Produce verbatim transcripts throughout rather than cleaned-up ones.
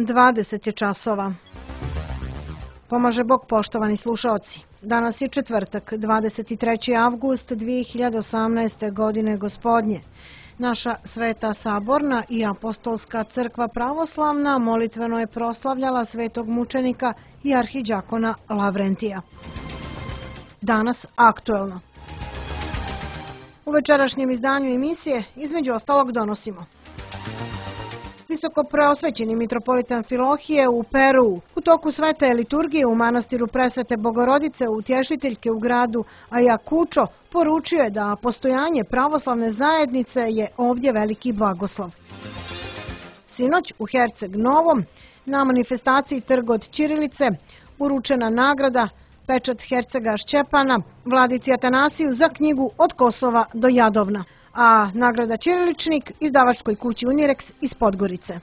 dvadeset je časova. Pomaže Bog, poštovani slušaoci. Danas je četvrtak, dvadeset treći avgust dve hiljade osamnaeste. godine gospodnje. Naša Sveta Saborna i Apostolska crkva pravoslavna molitveno je proslavljala svetog mučenika i arhidjakona Lavrentija. Danas aktuelno. U večerašnjem izdanju emisije između ostalog donosimo: visoko preosvećeni mitropolit Amfilohije u Peruu u toku svete liturgije u manastiru Presvete Bogorodice Utješiteljke u gradu Ayacucho poručio je da postojanje pravoslavne zajednice je ovdje veliki blagoslov. Sinoć u Herceg Novom na manifestaciji Trg od ćirilice uručena nagrada Pečat Hercega Šćepana Vladici Atanasiju za knjigu Od Kosova do Jadovna, a nagrada Ćiriličnik izdavačkoj kući Unirex iz Podgorice.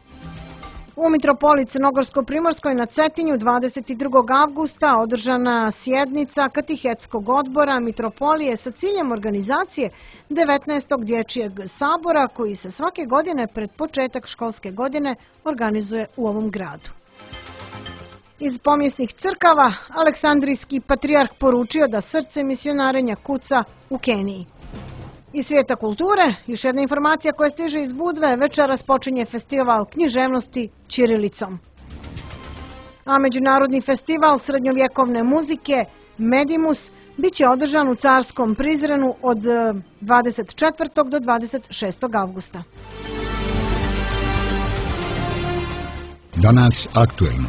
U mitropolit Crnogorsko-Primorskoj na Cetinju dvadeset drugog avgusta održana sjednica Katehetskog odbora mitropolije sa ciljem organizacije devetnaestog dječjeg sabora koji se svake godine pred početak školske godine organizuje u ovom gradu. Iz pomjesnih crkava Aleksandrijski patrijarh poručio da srce misionarenja kuca u Keniji. Iz svijeta kulture, još jedna informacija koja stiže iz Budve, večeras počinje festival književnosti ćirilicom. A Međunarodni festival srednjovjekovne muzike Medimus bit će održan u Carskom Prizrenu od dvadeset četvrtog do dvadeset šestog avgusta. Danas aktuelno.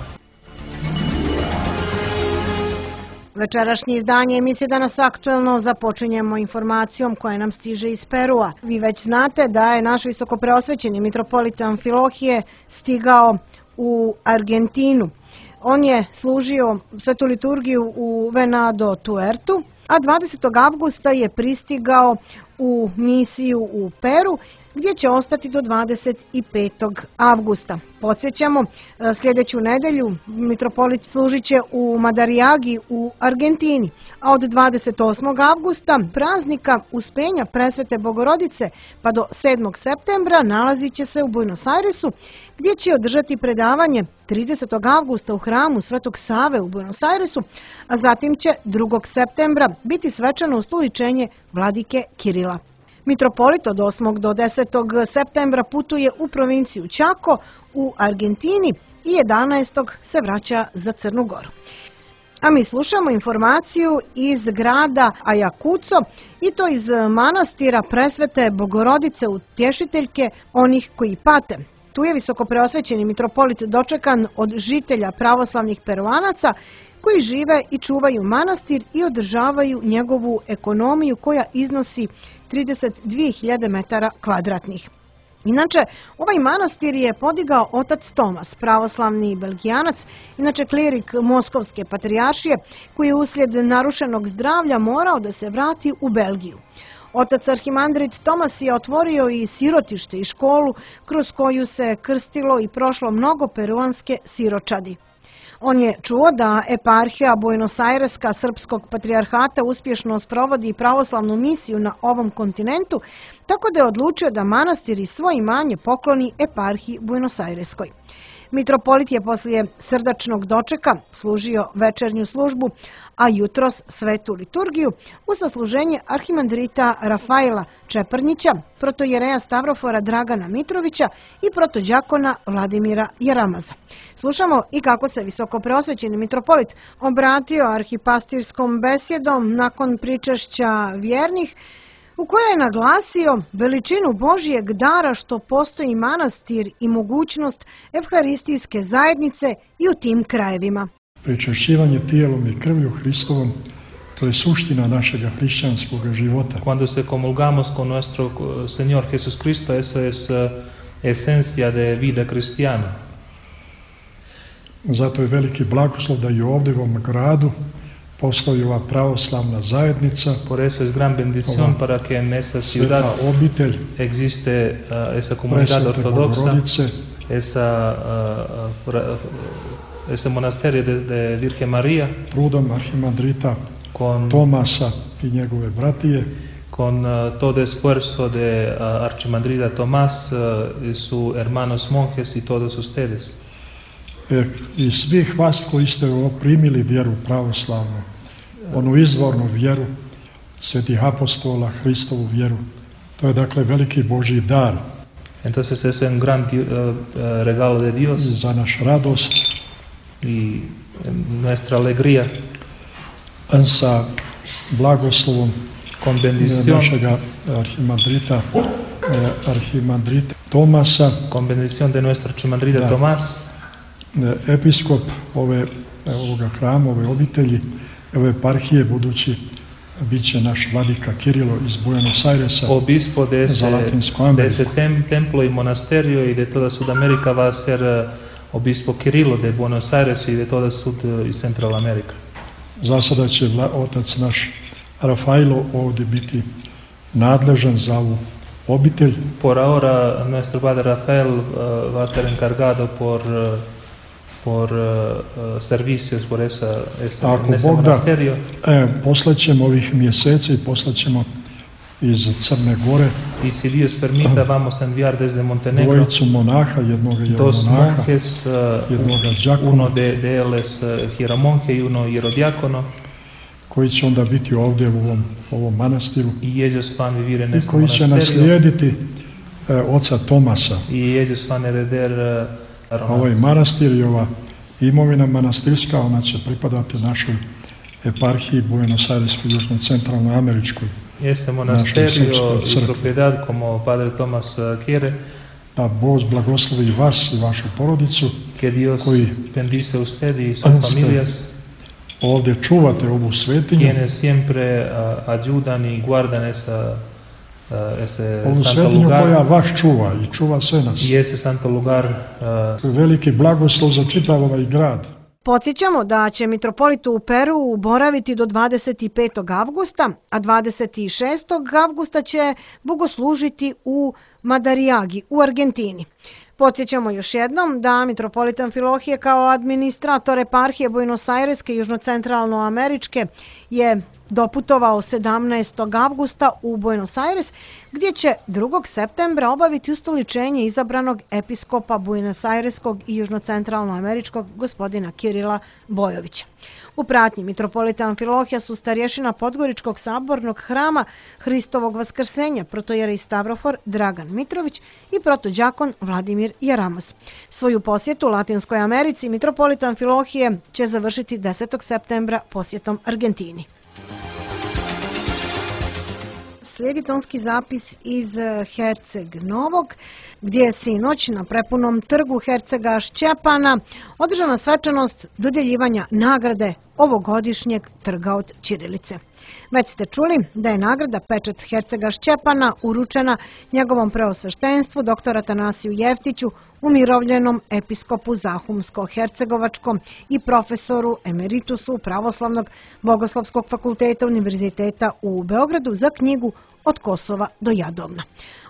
Večerašnje izdanje emisije Danas aktuelno započinjemo informacijom koja nam stiže iz Perua. Vi već znate da je naš visoko preosvećeni mitropolit Amfilohije stigao u Argentinu. On je služio svetu liturgiju u Venado Tuertu, a dvadesetog avgusta je pristigao u misiju u Peru, gdje će ostati do dvadeset petog avgusta. Podsjećamo, sljedeću nedelju mitropolit služit će u Madariagi u Argentini, a od dvadeset osmog avgusta praznika Uspenja Presvete Bogorodice pa do sedmog septembra nalazit će se u Buenos Airesu, gdje će održati predavanje tridesetog avgusta u hramu Svetog Save u Buenos Airesu, a zatim će drugog septembra biti svečano ustoličenje vladike Kirila. Mitropolit od osmog do desetog septembra putuje u provinciju Chaco u Argentini i jedanaestog se vraća za Crnu Goru. A mi slušamo informaciju iz grada Ayacucho i to iz manastira Presvete Bogorodice Utješiteljke onih koji pate. Tu je visoko preosvećeni mitropolit dočekan od žitelja pravoslavnih Peruanaca koji žive i čuvaju manastir i održavaju njegovu ekonomiju koja iznosi trideset dvije hiljade metara kvadratnih. Inače, ovaj manastir je podigao otac Tomas, pravoslavni belgijanac, inače klirik Moskovske patrijaršije, koji je uslijed narušenog zdravlja morao da se vrati u Belgiju. Otac arhimandrit Tomas je otvorio i sirotište i školu kroz koju se krstilo i prošlo mnogo peruanske siročadi. On je čuo da eparhija Buenos Aireska srpskog patrijarhata uspješno sprovodi pravoslavnu misiju na ovom kontinentu, tako da je odlučio da manastir i svoje imanje pokloni eparhiji Buenos Aireskoj. Mitropolit je poslije srdačnog dočeka služio večernju službu, a jutros svetu liturgiju u sasluženje arhimandrita Rafaela Čeprnjića, protojereja Stavrofora Dragana Mitrovića i protođakona Vladimira Jaramaza. Slušamo i kako se visoko preosvećeni mitropolit obratio arhipastirskom besjedom nakon pričešća vjernih, u kojoj je naglasio veličinu Božijeg dara što postoji manastir i mogućnost evharistijske zajednice i u tim krajevima. Pričešćivanje tijelom i krvlju Hristovom, to je suština našega hrišćanskog života. Cuando se comulgamos con nuestro Señor Jesús Cristo, esa es esencia de vida cristiana. Zato je veliki blagoslov da i ovdje u ovom gradu postoji ova pravoslavna zajednica. Por eso es gran bendición para que en esta ciudad obitelj, existe uh, esa comunidad ortodoxa, esa, uh, uh, ese monasterio de, de Virgen María, trudom arhimandrita con Tomasa i njegove bratije, con uh, todo esfuerzo de uh, archimandrita Tomás uh, y sus hermanos monjes y todos ustedes. i svih vas koji ste primili vjeru pravoslavnu, onu izvornu vjeru svetih apostola, Hristovu vjeru. To je dakle veliki Božji dar. Entonces es un gran uh, regalo de Dios. Za naš radost i nuestra alegría. Sa blagoslovom con bendición našega arhimandrita, arhimandrita Tomasa, con bendición de nuestro arhimandrita da, Tomás, episkop ove, ovoga hrama, ove obitelji, ove eparhije budući biće naš vladika Kirilo iz Buenos Airesa, obispo de ese, de ese tem, templo y monasterio y de toda Sudamérica va a ser obispo Kirilo de Buenos Aires y de toda Sud y Central America. Za sada će otac naš Rafaelo ovdje biti nadležan za ovu obitelj. Por ahora nuestro padre Rafael uh, va a ser encargado por uh, por uh, servicios por esa ese, Ako ese Bog da, e, poslaćemo ovih mjeseci i poslaćemo iz Crne Gore y si Dios permita uh, vamos a enviar desde Montenegro dvojicu monaha, jednoga je dos monaha, monjes, uh, jednoga đakona, uno de, de él uh, hieromonje y uno hierodiácono, koji će onda biti ovdje u ovom, ovom manastiru y ellos van a vivir en i este koji će naslijediti e, oca Tomasa. Y ellos van a heredar uh, ovaj manastir i ova imovina manastirska, ona će pripadati našoj eparhiji Buenos Aireskoj, južno-centralnoj američkoj. Este monasterio y propiedad como Padre Tomás quiere. Da Bog blagoslovi vas i vašu porodicu, que Dios koji bendice usted y sus familias, ovdje čuvate ovu svetinju, quienes siempre uh, ayudan y guardan esa, uh, ese ovu santo svetinju lugar, koja vas čuva i čuva sve nas. Y ese santo lugar, uh, veliki blagoslov za čitav ovaj grad. Podsjećamo da će mitropolit u Peru boraviti do dvadeset petog avgusta, a dvadeset šestog avgusta će bogoslužiti u Madariagi u Argentini. Podsjećamo još jednom da mitropolit Amfilohije kao administrator eparhije Buenos Aireske i južno-centralnoameričke je doputovao sedamnaestog avgusta u Buenos Aires, gdje će drugog septembra obaviti ustoličenje izabranog episkopa Buenos Aireskog i južno-centralnoameričkog gospodina Kirila Bojovića. U pratnji mitropolita Amfilohija su starješina Podgoričkog sabornog hrama Hristovog vaskrsenja, protojeri Stavrofor Dragan Mitrović i protođakon Vladimir Jaramos. Svoju posjetu Latinskoj Americi mitropolita Amfilohije će završiti desetog septembra posjetom Argentini. Slijedi tonski zapis iz Herceg Novog, gdje je sinoć na prepunom trgu Hercega Šćepana održana svečanost dodjeljivanja nagrade ovogodišnjeg trga od ćirilice. Već ste čuli da je nagrada Pečat Hercega Šćepana uručena njegovom preosveštenstvu doktor Atanasiju Jeftiću, umirovljenom episkopu Zahumsko-Hercegovačkom i profesoru emeritusu Pravoslavnog bogoslovskog fakulteta Univerziteta u Beogradu za knjigu Od Kosova do Jadovna.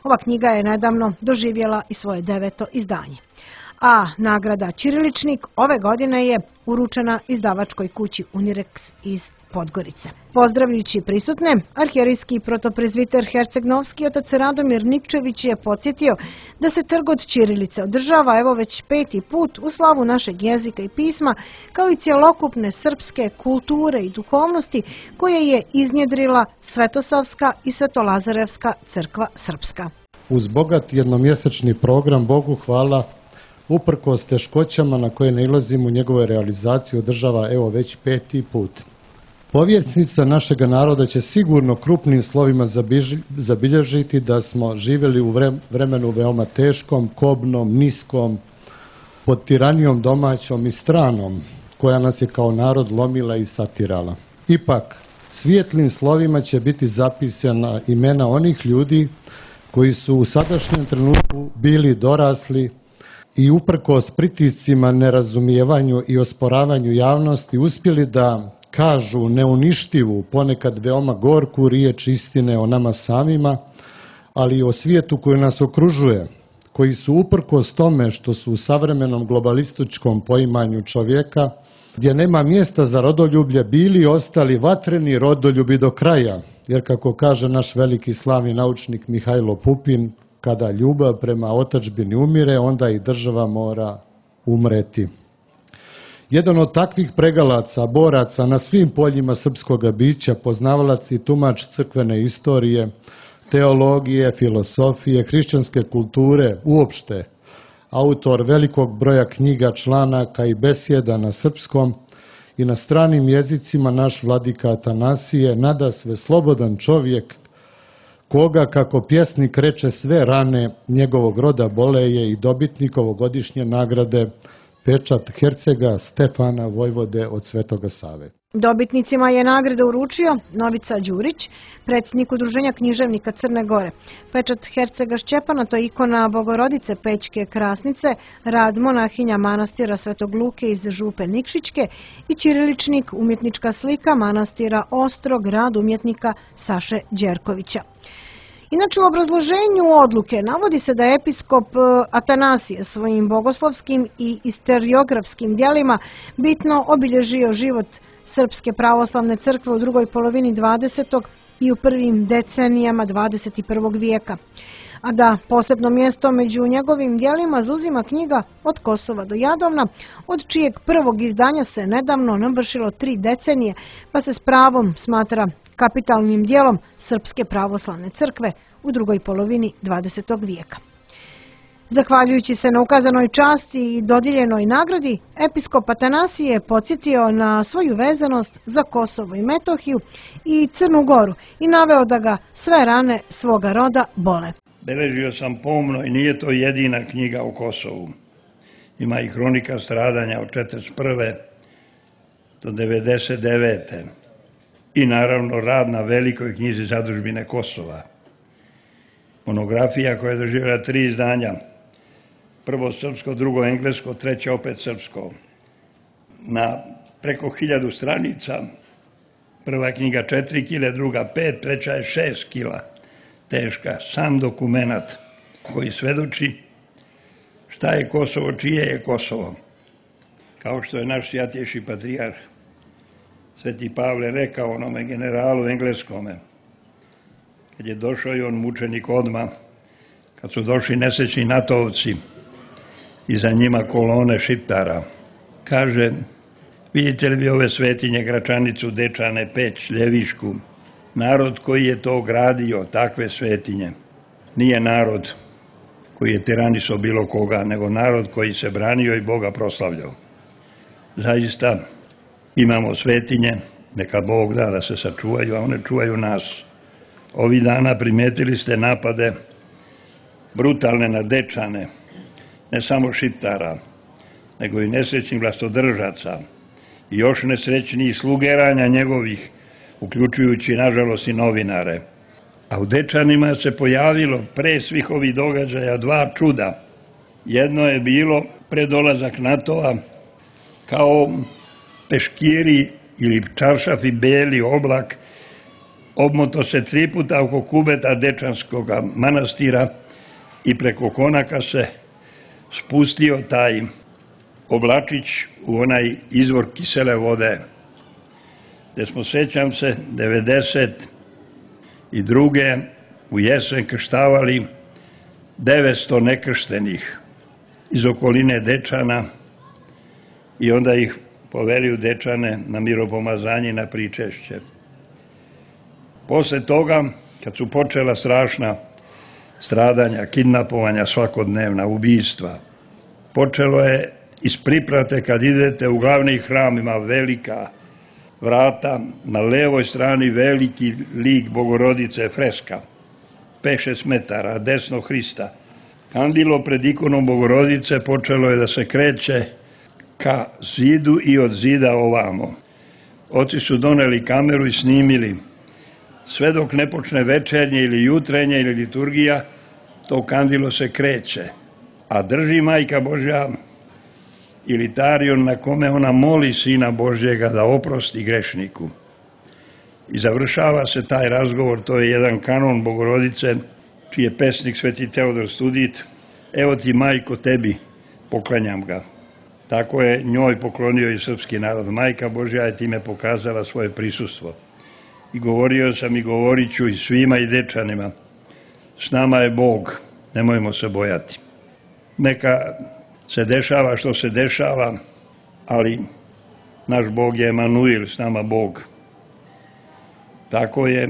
Ova knjiga je nedavno doživjela i svoje deveto izdanje. A nagrada Ćiriličnik ove godine je uručena izdavačkoj kući Unirex iz Podgorice. Pozdravljujući prisutne, arhijerijski protoprezviter Herceg-Novski otac Radomir Nikčević je podsjetio da se trg od ćirilice održava evo već peti put u slavu našeg jezika i pisma, kao i cjelokupne srpske kulture i duhovnosti koje je iznjedrila Svetosavska i Svetolazarevska crkva srpska. Uz bogat jednomjesečni program Bogu hvala, uprkos teškoćama na koje nailazimo u njegovoj realizaciji održava evo već peti put. Povjesnica našega naroda će sigurno krupnim slovima zabilježiti da smo živjeli u vremenu veoma teškom, kobnom, niskom, pod tiranijom domaćom i stranom, koja nas je kao narod lomila i satirala. Ipak, svijetlim slovima će biti zapisana imena onih ljudi koji su u sadašnjem trenutku bili dorasli i uprkos pritiscima, nerazumijevanju i osporavanju javnosti uspjeli da kažu neuništivu, ponekad veoma gorku riječ istine o nama samima, ali i o svijetu koji nas okružuje, koji su uprkos tome što su u savremenom globalističkom poimanju čovjeka, gdje nema mjesta za rodoljublje, bili i ostali vatreni rodoljubi do kraja, jer kako kaže naš veliki slavni naučnik Mihajlo Pupin, kada ljubav prema otadžbini umire, onda i država mora umreti. Jedan od takvih pregalaca, boraca na svim poljima srpskog bića, poznavalac i tumač crkvene istorije, teologije, filosofije, hrišćanske kulture, uopšte, autor velikog broja knjiga, članaka i besjeda na srpskom i na stranim jezicima, naš vladika Atanasije, nadasve slobodan čovjek, koga, kako pjesnik reče, sve rane njegovog roda boleje, i dobitnik ovogodišnje nagrade pečat hercega Stefana Vojvode od Svetoga Save. Dobitnicima je nagrade uručio Novica Đurić, predsjednik Udruženja književnika Crne Gore. Pečat hercega Šćepana, to je ikona Bogorodice Pećke Krasnice, rad monahinja manastira Svetog Luke iz Župe Nikšićke i ćiriličnik, umjetnička slika manastira Ostrog, rad umjetnika Saše Đerkovića. Inače, u obrazloženju odluke navodi se da je episkop Atanasije svojim bogoslovskim i istoriografskim djelima bitno obilježio život Srpske pravoslavne crkve u drugoj polovini dvadesetog i u prvim decenijama dvadeset prvog vijeka. A da posebno mjesto među njegovim djelima zauzima knjiga Od Kosova do Jadovna, od čijeg prvog izdanja se nedavno navršilo tri decenije, pa se s pravom smatra kapitalnim djelom Srpske pravoslavne crkve u drugoj polovini dvadesetog vijeka. Zahvaljujući se na ukazanoj časti i dodijeljenoj nagradi, episkop Atanasije je podsjetio na svoju vezanost za Kosovo i Metohiju i Crnu Goru i naveo da ga sve rane svoga roda bole. Beležio sam pomno i nije to jedina knjiga o Kosovu. Ima i hronika stradanja od četrdeset prve do devedeset devete i naravno rad na velikoj knjizi Zadužbine Kosova. Monografija koja je doživjela tri izdanja, prvo srpsko, drugo englesko, treće opet srpsko. Na preko hiljadu stranica, prva knjiga četiri kile, druga pet, treća je šest kila teška, sam dokumenat koji svedoči šta je Kosovo, čije je Kosovo. Kao što je naš svjatjejši patrijarh Sveti Pavle rekao onome generalu engleskome, kad je došao i on mučenik odmah, kad su došli nesrećni natovci i za njima kolone Šiptara, kaže, vidite li vi ove svetinje, Gračanicu, Dečane, Peć, Ljevišku, narod koji je to gradio, takve svetinje, nije narod koji je tiraniso bilo koga, nego narod koji se branio i Boga proslavljao. Zaista imamo svetinje, neka Bog da da se sačuvaju, a one čuvaju nas. Ovih dana primetili ste napade brutalne na Dečane, ne samo Šiptara, nego i nesrećnih vlastodržaca i još nesrećnijih slugeranja njegovih, uključujući, nažalost, i novinare. A u Dečanima se pojavilo pre svih ovih događaja dva čuda. Jedno je bilo predolazak NATO-a kao peškiri ili čaršafi beli oblak, obmoto se tri puta oko kubeta Dečanskog manastira i preko konaka se spustio taj oblačić u onaj izvor kisele vode, gde smo, sećam se, devedeset druge u jesen krštavali devetsto nekrštenih iz okoline Dečana i onda ih poveli u Dečane na miropomazanje, na pričešće. Posle toga, kad su počela strašna stradanja, kidnapovanja svakodnevna, ubijstva, počelo je iz priprate kad idete u glavni hram, ima velika vrata, na levoj strani veliki lik Bogorodice, freska, pet šest metara, desno Hrista. Kandilo pred ikonom Bogorodice počelo je da se kreće ka zidu i od zida ovamo. Oci su doneli kameru i snimili. Sve dok ne počne večernje ili jutrenje ili liturgija, to kandilo se kreće. A drži Majka Božja ilitarion na kome ona moli Sina Božjega da oprosti grešniku. I završava se taj razgovor, to je jedan kanon Bogorodice, čiji je pesnik Sveti Teodor Studit. Evo ti, Majko, tebi, poklanjam ga. Tako je njoj poklonio i srpski narod. Majka Božja je time pokazala svoje prisustvo. I govorio sam i govorit ću i svima i Dečanima. S nama je Bog, nemojmo se bojati. Neka se dešava što se dešava, ali naš Bog je Emanuil, s nama Bog. Tako je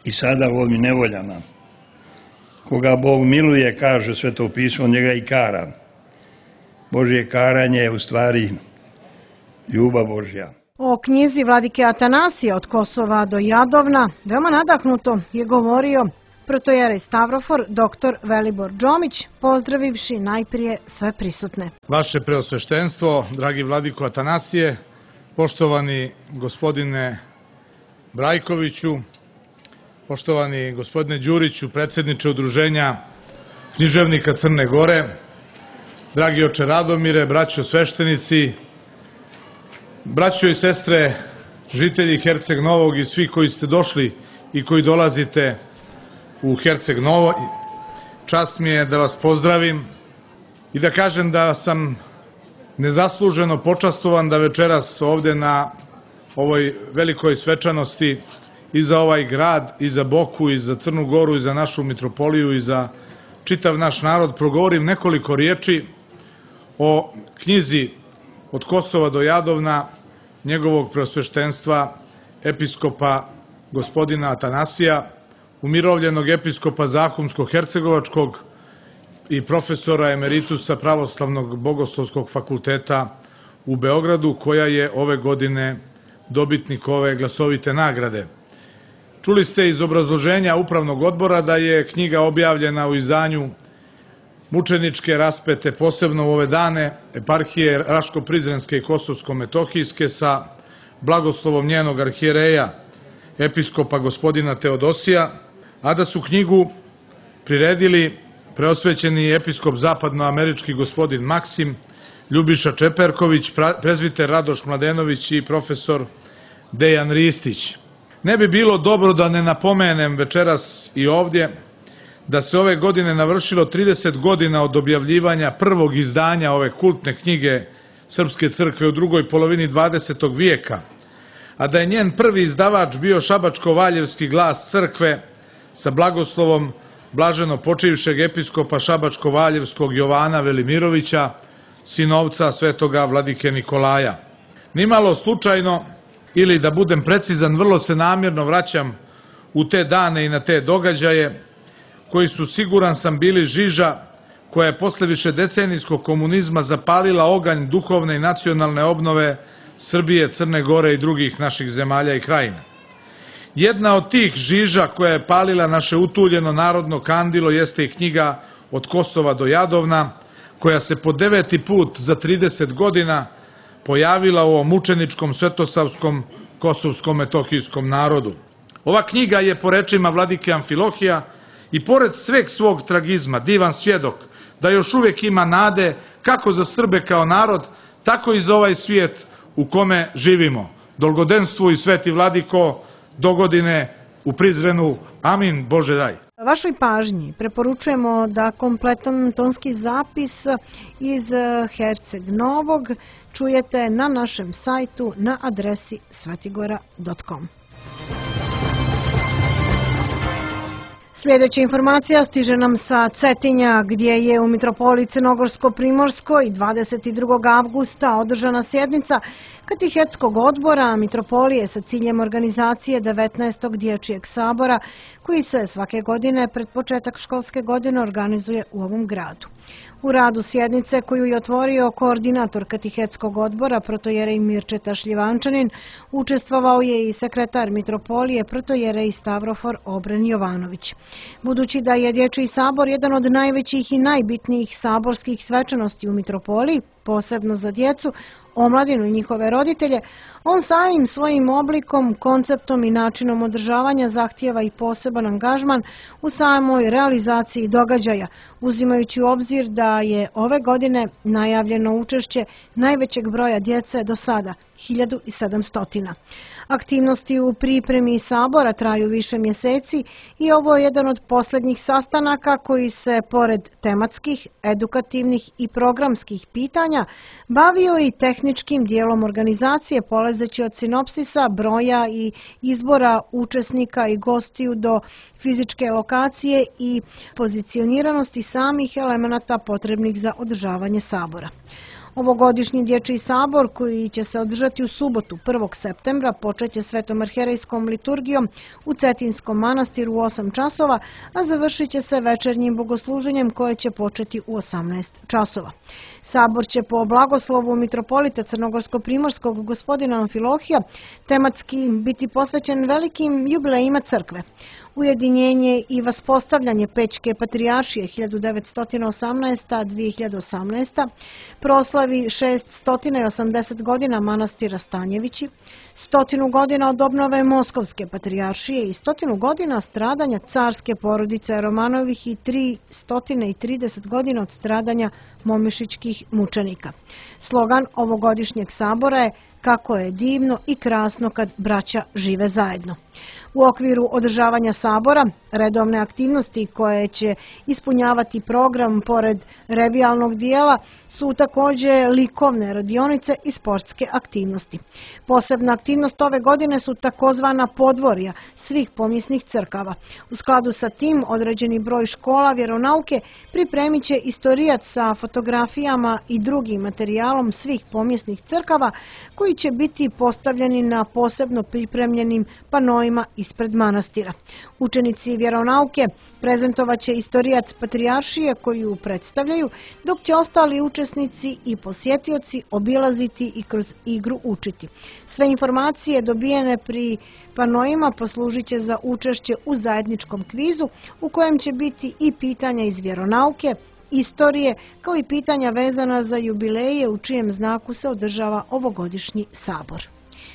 i sada u ovim nevoljama. Koga Bog miluje, kaže Sveto pismo, njega i kara. Božje karanje je u stvari ljubav Božja. O knjizi vladike Atanasija od Kosova do Jadovna veoma nadahnuto je govorio protojerej Stavrofor doktor Velibor Džomić, pozdravivši najprije sve prisutne. Vaše preosveštenstvo, dragi vladiko Atanasije, poštovani gospodine Brajkoviću, poštovani gospodine Đuriću, predsjedniče Udruženja književnika Crne Gore, dragi oče Radomire, braćo sveštenici, braćo i sestre, žitelji Herceg Novog i svi koji ste došli i koji dolazite u Herceg Novo, čast mi je da vas pozdravim i da kažem da sam nezasluženo počastovan da večeras ovde na ovoj velikoj svečanosti i za ovaj grad, i za Boku, i za Crnu Goru, i za našu mitropoliju, i za čitav naš narod progovorim nekoliko riječi o knjizi Od Kosova do Jadovna njegovog preosveštenstva episkopa gospodina Atanasija, umirovljenog episkopa Zahumsko-Hercegovačkog i profesora emeritusa Pravoslavnog bogoslovskog fakulteta u Beogradu, koja je ove godine dobitnik ove glasovite nagrade. Čuli ste iz obrazloženja Upravnog odbora da je knjiga objavljena u izdanju mučeničke raspete, posebno u ove dane eparhije Raško-Prizrenske i Kosovsko-Metohijske sa blagoslovom njenog arhijereja, episkopa gospodina Teodosija, a da su knjigu priredili preosvećeni episkop zapadnoamerički gospodin Maksim, Ljubiša Čeperković, prezbiter Radoš Mladenović i profesor Dejan Ristić. Ne bi bilo dobro da ne napomenem večeras i ovdje da se ove godine navršilo trideset godina od objavljivanja prvog izdanja ove kultne knjige Srpske crkve u drugoj polovini dvadesetog vijeka, a da je njen prvi izdavač bio Šabačko-Valjevski glas crkve sa blagoslovom blaženo počivšeg episkopa Šabačko-Valjevskog Jovana Velimirovića, sinovca svetoga vladike Nikolaja. Nimalo slučajno, ili da budem precizan, vrlo se namjerno vraćam u te dane i na te događaje koji su, siguran sam, bili žiža koja je posle višedecenijskog komunizma zapalila oganj duhovne i nacionalne obnove Srbije, Crne Gore i drugih naših zemalja i krajina. Jedna od tih žiža koja je palila naše utuljeno narodno kandilo jeste i knjiga Od Kosova do Jadovna, koja se po deveti put za trideset godina pojavila u ovom mučeničkom svetosavskom kosovsko-metohijskom narodu. Ova knjiga je, po rečima vladike Amfilohija, i pored sveg svog tragizma, divan svjedok da još uvijek ima nade kako za Srbe kao narod, tako i za ovaj svijet u kome živimo. Dolgodenstvu i sveti vladiko, dogodine u Prizrenu. Amin, Bože daj. Vašoj pažnji preporučujemo da kompletan tonski zapis iz Herceg Novog čujete na našem sajtu na adresi svetigora dot com. Sljedeća informacija stiže nam sa Cetinja, gdje je u Mitropoliji Crnogorsko-Primorskoj dvadeset drugog avgusta održana sjednica Katehetskog odbora Mitropolije sa ciljem organizacije devetnaestog dječjeg sabora, koji se svake godine pred početak školske godine organizuje u ovom gradu. U radu sjednice, koju je otvorio koordinator Katehetskog odbora protojerej Mirčeta Šljivančanin, učestvovao je i sekretar Mitropolije protojerej Stavrofor Obren Jovanović. Budući da je Dječji sabor jedan od najvećih i najbitnijih saborskih svečanosti u Mitropoliji, posebno za djecu, omladinu i njihove roditelje, on samim svojim oblikom, konceptom i načinom održavanja zahtijeva i poseban angažman u samoj realizaciji događaja, uzimajući u obzir da je ove godine najavljeno učešće najvećeg broja djece do sada, hiljadu sedamsto. Aktivnosti u pripremi sabora traju više mjeseci i ovo je jedan od posljednjih sastanaka koji se, pored tematskih, edukativnih i programskih pitanja, bavio i tehničkim dijelom organizacije, polazeći od sinopsisa, broja i izbora učesnika i gostiju do fizičke lokacije i pozicioniranosti samih elemenata potrebnih za održavanje sabora. Ovogodišnji dječji sabor koji će se održati u subotu prvog septembra počeće svetom arhijerejskom liturgijom u Cetinskom manastiru u osam časova, a završit će se večernjim bogosluženjem koje će početi u osamnaest časova. Sabor će po blagoslovu mitropolita crnogorsko-primorskog gospodina Amfilohija tematski biti posvećen velikim jubilejima crkve. Ujedinjenje i vaspostavljanje Pećke patrijaršije hiljadu devetsto osamnaesta do dve hiljade osamnaeste. proslavi šessto osamdeset godina manastira Stanjevići, stotinu godina od obnove Moskovske patrijaršije i stotinu godina stradanja carske porodice Romanovih i tristo trideset godina od stradanja momišićkih mučenika. Slogan ovogodišnjeg sabora je "Kako je divno i krasno kad braća žive zajedno". U okviru održavanja sabora, redovne aktivnosti koje će ispunjavati program pored revijalnog dijela su također likovne radionice i sportske aktivnosti. Posebna aktivnost ove godine su takozvana podvorja svih pomjesnih crkava. U skladu sa tim, određeni broj škola vjeronauke pripremit će istorijat sa fotografijama i drugim materijalom svih pomjesnih crkava koji će biti postavljeni na posebno pripremljenim panoima ispred manastira. Učenici vjeronauke prezentovat će istorijat patrijaršije koju predstavljaju, dok će ostali učesnici i posjetioci obilaziti i kroz igru učiti. Sve informacije dobijene pri panoima poslužit će za učešće u zajedničkom kvizu u kojem će biti i pitanja iz vjeronauke, istorije, kao i pitanja vezana za jubileje u čijem znaku se održava ovogodišnji sabor.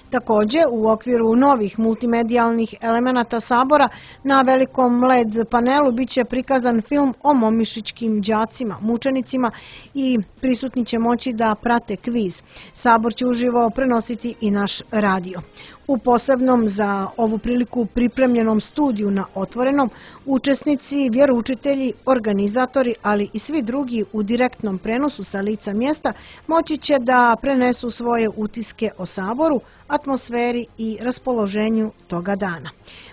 Također, u okviru novih multimedijalnih elemenata sabora na velikom L E D panelu biće prikazan film o momišićkim đacima, mučenicima i prisutni će moći da prate kviz. Sabor će uživo prenositi i naš radio. U posebnom za ovu priliku pripremljenom studiju na Otvorenom, učesnici, vjeroučitelji, organizatori, ali i svi drugi u direktnom prenosu sa lica mjesta moći će da prenesu svoje utiske o saboru, atmosferi i raspoloženju toga dana.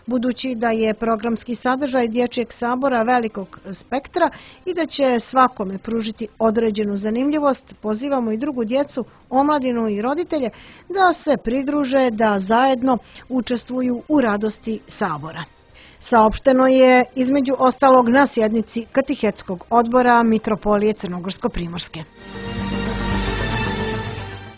Budući da je programski sadržaj dječjeg sabora velikog spektra i da će svakome pružiti određenu zanimljivost, pozivamo i drugu djecu, omladinu i roditelje da se pridruže, da zajedno učestvuju u radosti sabora. Saopšteno je između ostalog na sjednici Katehetskog odbora Mitropolije Crnogorsko-Primorske.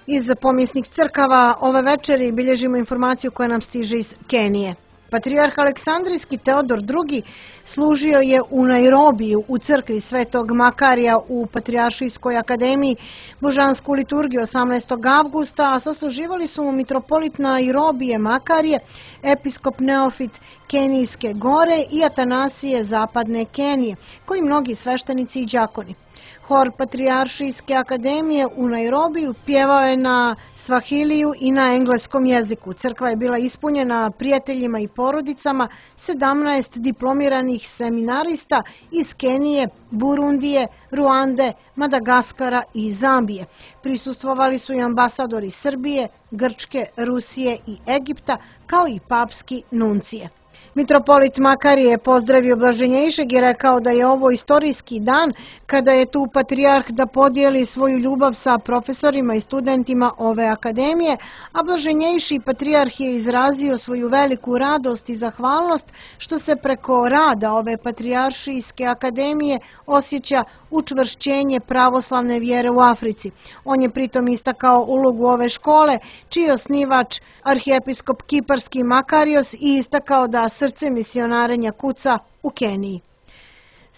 Iz pomjesnih crkava ove večeri bilježimo informaciju koja nam stiže iz Kenije. Patrijarh Aleksandrijski Teodor drugi služio je u Nairobiju u crkvi Svetog Makarija u Patrijaršijskoj akademiji božansku liturgiju osamnaestog avgusta, a sasluživali su mu mitropolit Nairobije Makarije, episkop Neofit Kenijske gore i Atanasije zapadne Kenije, koji mnogi sveštenici i đakoni. Hor Patrijaršijske akademije u Nairobiju pjevao je na svahiliju i na engleskom jeziku. Crkva je bila ispunjena prijateljima i porodicama sedamnaest diplomiranih seminarista iz Kenije, Burundije, Ruande, Madagaskara i Zambije. Prisustvovali su i ambasadori Srbije, Grčke, Rusije i Egipta, kao i papski nuncije. Mitropolit Makarije je pozdravio blaženjejšeg i rekao da je ovo istorijski dan kada je tu patrijarh da podijeli svoju ljubav sa profesorima i studentima ove akademije, a blaženjejši patrijarh je izrazio svoju veliku radost i zahvalnost što se preko rada ove patrijaršijske akademije osjeća učvršćenje pravoslavne vjere u Africi. On je pritom istakao ulogu ove škole, čiji je osnivač arhijepiskop Kiparski Makarios i istakao da srce misionarenja kuca u Keniji.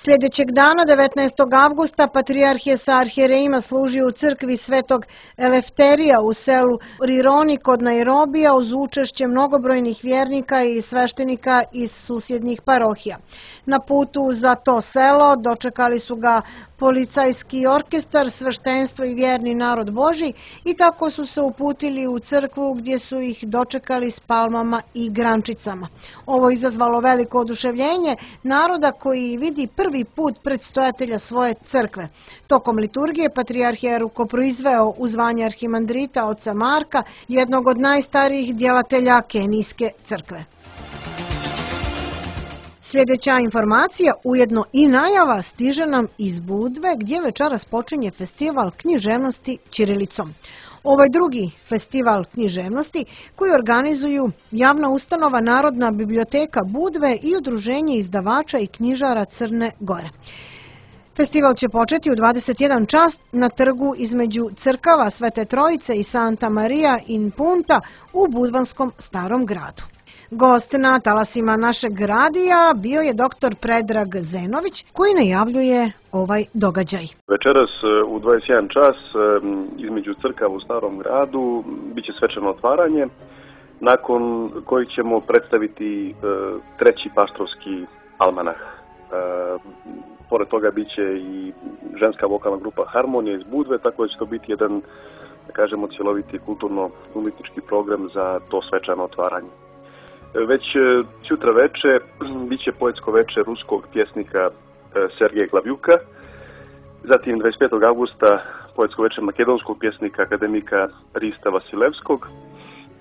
Sljedećeg dana, devetnaestog avgusta, patrijarh je sa arhijerejima služio u crkvi Svetog Elefterija u selu Rironi kod Nairobija uz učešće mnogobrojnih vjernika i sveštenika iz susjednih parohija. Na putu za to selo dočekali su ga policajski orkestar, sveštenstvo i vjerni narod Božji i tako su se uputili u crkvu gdje su ih dočekali s palmama i grančicama. Ovo izazvalo veliko oduševljenje naroda koji vidi prvi put predstojatelja svoje crkve. Tokom liturgije patrijarh je rukoproizveo u zvanje arhimandrita oca Marka, jednog od najstarijih djelatelja Kenijske crkve. Sljedeća informacija, ujedno i najava, stiže nam iz Budve gdje večeras počinje festival književnosti ćirilicom. Ovo je drugi festival književnosti koji organizuju javna ustanova Narodna biblioteka Budve i Udruženje izdavača i knjižara Crne Gore. Festival će početi u dvadeset jedan čas na trgu između crkava Svete Trojice i Santa Maria in Punta u budvanskom Starom gradu. Gost na talasima našeg radija bio je doktor Predrag Zenović koji najavljuje ovaj događaj. Večeras u dvadeset jedan čas između crkava u Starom gradu biće svečano otvaranje, nakon kojeg ćemo predstaviti treći paštrovski almanah. Pored toga biće i ženska vokalna grupa Harmonija iz Budve, tako da će to biti jedan, da kažemo, cjeloviti kulturno-umjetnički program za to svečano otvaranje. Već sutra veče biće poetsko veče ruskog pjesnika Sergeja Glavjuka, zatim dvadeset petog avgusta poetsko veče makedonskog pjesnika akademika Rista Vasilevskog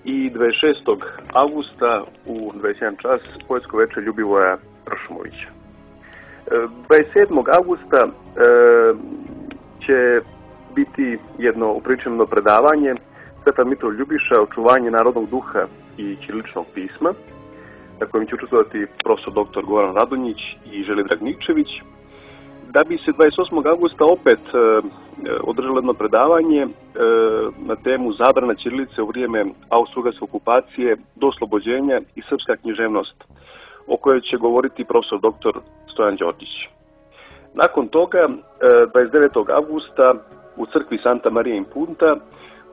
i dvadeset šestog avgusta u dvadeset jedan čas poetsko veče Ljubivoja Ršumovića. dvadeset sedmog avgusta će biti jedno upriličeno predavanje Stefan Mitrov Ljubiša, očuvanje narodnog duha i ćiriličnog pisma, na kojem će učestvovati profesor doktor Goran Radonjić i Želidrag Nikčević, da bi se dvadeset osmog avgusta opet e, održalo jedno predavanje e, na temu zabrana ćirilice u vrijeme austrougarske okupacije do oslobođenja i srpska književnost, o kojoj će govoriti profesor doktor Stojan Đorđić. Nakon toga, e, dvadeset devetog avgusta u crkvi Santa Maria in Punta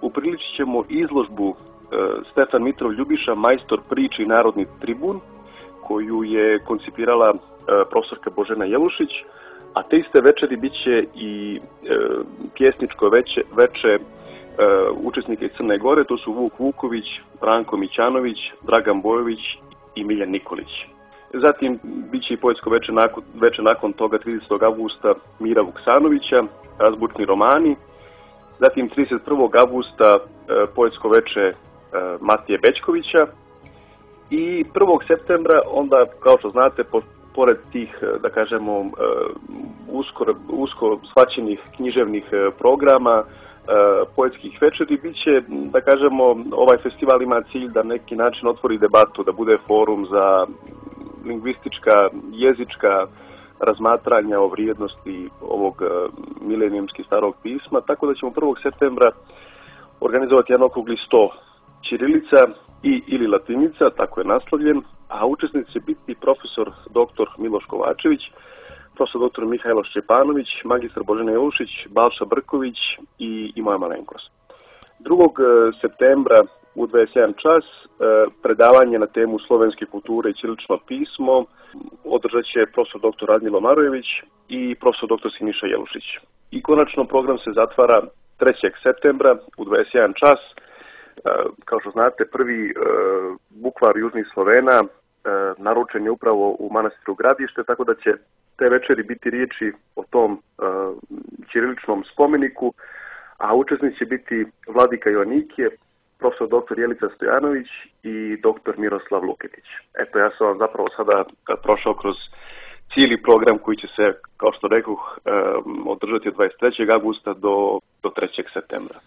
upriličit ćemo izložbu Stefan Mitrov Ljubiša, majstor priče i narodni tribun, koju je koncipirala profesorka Božena Jelušić, a te iste večeri bit će i pjesničko veče, veče učesnika iz Crne Gore, to su Vuk Vuković, Branko Mićanović, Dragan Bojović i Miljan Nikolić. Zatim bit će i poetsko veče nakon, veče nakon toga tridesetog avgusta Mira Vuksanovića, azbučni romani. Zatim trideset prvog avgusta poetsko veče Matije Bećkovića i prvog septembra, onda, kao što znate, po, pored tih, da kažemo, usko, usko shvaćenih književnih programa, poetskih večeri, bit će, da kažemo, ovaj festival ima cilj da na neki način otvori debatu, da bude forum za lingvistička, jezička razmatranja o vrijednosti ovog milenijumski starog pisma, tako da ćemo prvog septembra organizovati jedan okrugli sto ćirilica i ili latinica, tako je naslovljen, a učesnici će biti profesor doktor Miloš Kovačević, profesor doktor Mihajlo Šćepanović, magistar Božena Jelušić, Balša Brković i, i moja malenkost. drugog septembra u dvadeset jedan čas predavanje na temu slovenske kulture i ćirilično pismo održat će profesor doktor Radmilo Marojević i profesor doktor Siniša Jelušić. I konačno program se zatvara trećeg septembra u dvadeset jedan čas. Kao što znate, prvi bukvar južnih Slovena naručen je upravo u manastiru Gradište, tako da će te večeri biti riječi o tom ćiriličnom spomeniku, a učesnici će biti Vladika Joannikije, profesor doktor Jelica Stojanović i doktor Miroslav Luketić. Eto, ja sam vam zapravo sada prošao kroz cijeli program koji će se, kao što rekoh, održati od dvadeset trećeg avgusta do, do trećeg septembra.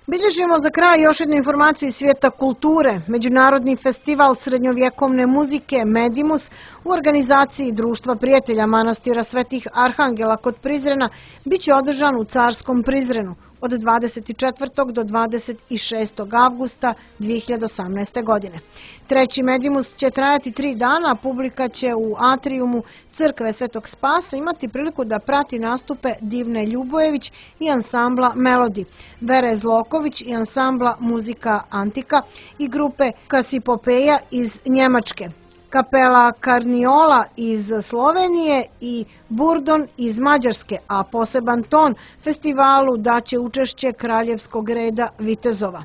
Bilježimo za kraj još jednu informaciju iz svijeta kulture. Međunarodni festival srednjovjekovne muzike Medimus u organizaciji Društva prijatelja manastira Svetih Arhangela kod Prizrena bit će održan u Carskom Prizrenu od dvadeset četvrtog do dvadeset šestog avgusta dvije hiljade osamnaeste. godine. Treći Medimus će trajati tri dana, a publika će u atrijumu Crkve Svetog Spasa imati priliku da prati nastupe Divne Ljubojević i ansambla Melodi, Vere Zloković i ansambla Muzika Antika i grupe Kasipopeja iz Njemačke, Kapela Karniola iz Slovenije i Burdon iz Mađarske, a poseban ton festivalu daće učešće Kraljevskog reda vitezova.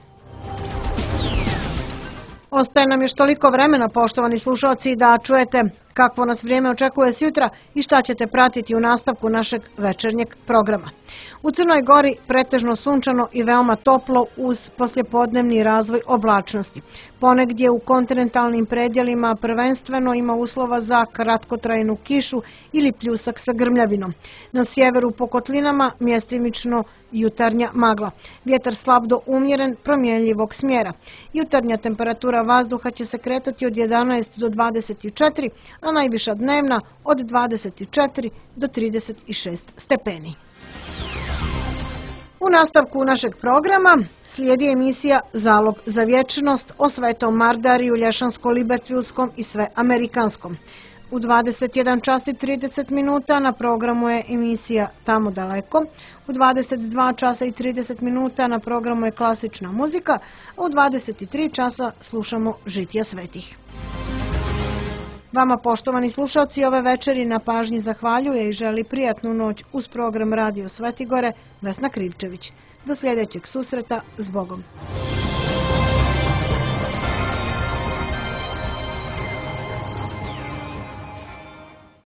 Ostaje nam još toliko vremena, poštovani slušalci, da čujete Kakvo nas vrijeme očekuje sjutra i šta ćete pratiti u nastavku našeg večernjeg programa. U Crnoj Gori pretežno sunčano i veoma toplo uz poslijepodnevni razvoj oblačnosti. Ponegdje u kontinentalnim predjelima prvenstveno ima uslova za kratkotrajnu kišu ili pljusak sa grmljavinom. Na sjeveru po kotlinama mjestimično jutarnja magla. Vjetar slab do umjeren, promjenljivog smjera. Jutarnja temperatura vazduha će se kretati od jedanaest do dvadeset četiri, a najviša dnevna od dvadeset četiri do trideset šest stepeni. U nastavku našeg programa slijedi emisija Zalog za vječnost o Svetom Mardariju, Lješansko-Libertvilskom i Sveamerikanskom. U dvadeset jedan čas i trideset minuta na programu je emisija Tamo daleko, u dvadeset dva časa i trideset minuta na programu je klasična muzika, a u dvadeset tri časa slušamo Žitija svetih. Vama, poštovani slušalci, ove večeri na pažnji zahvaljuje i želi prijatnu noć uz program Radio Svetigore Vesna Krivčević. Do sljedećeg susreta, s Bogom.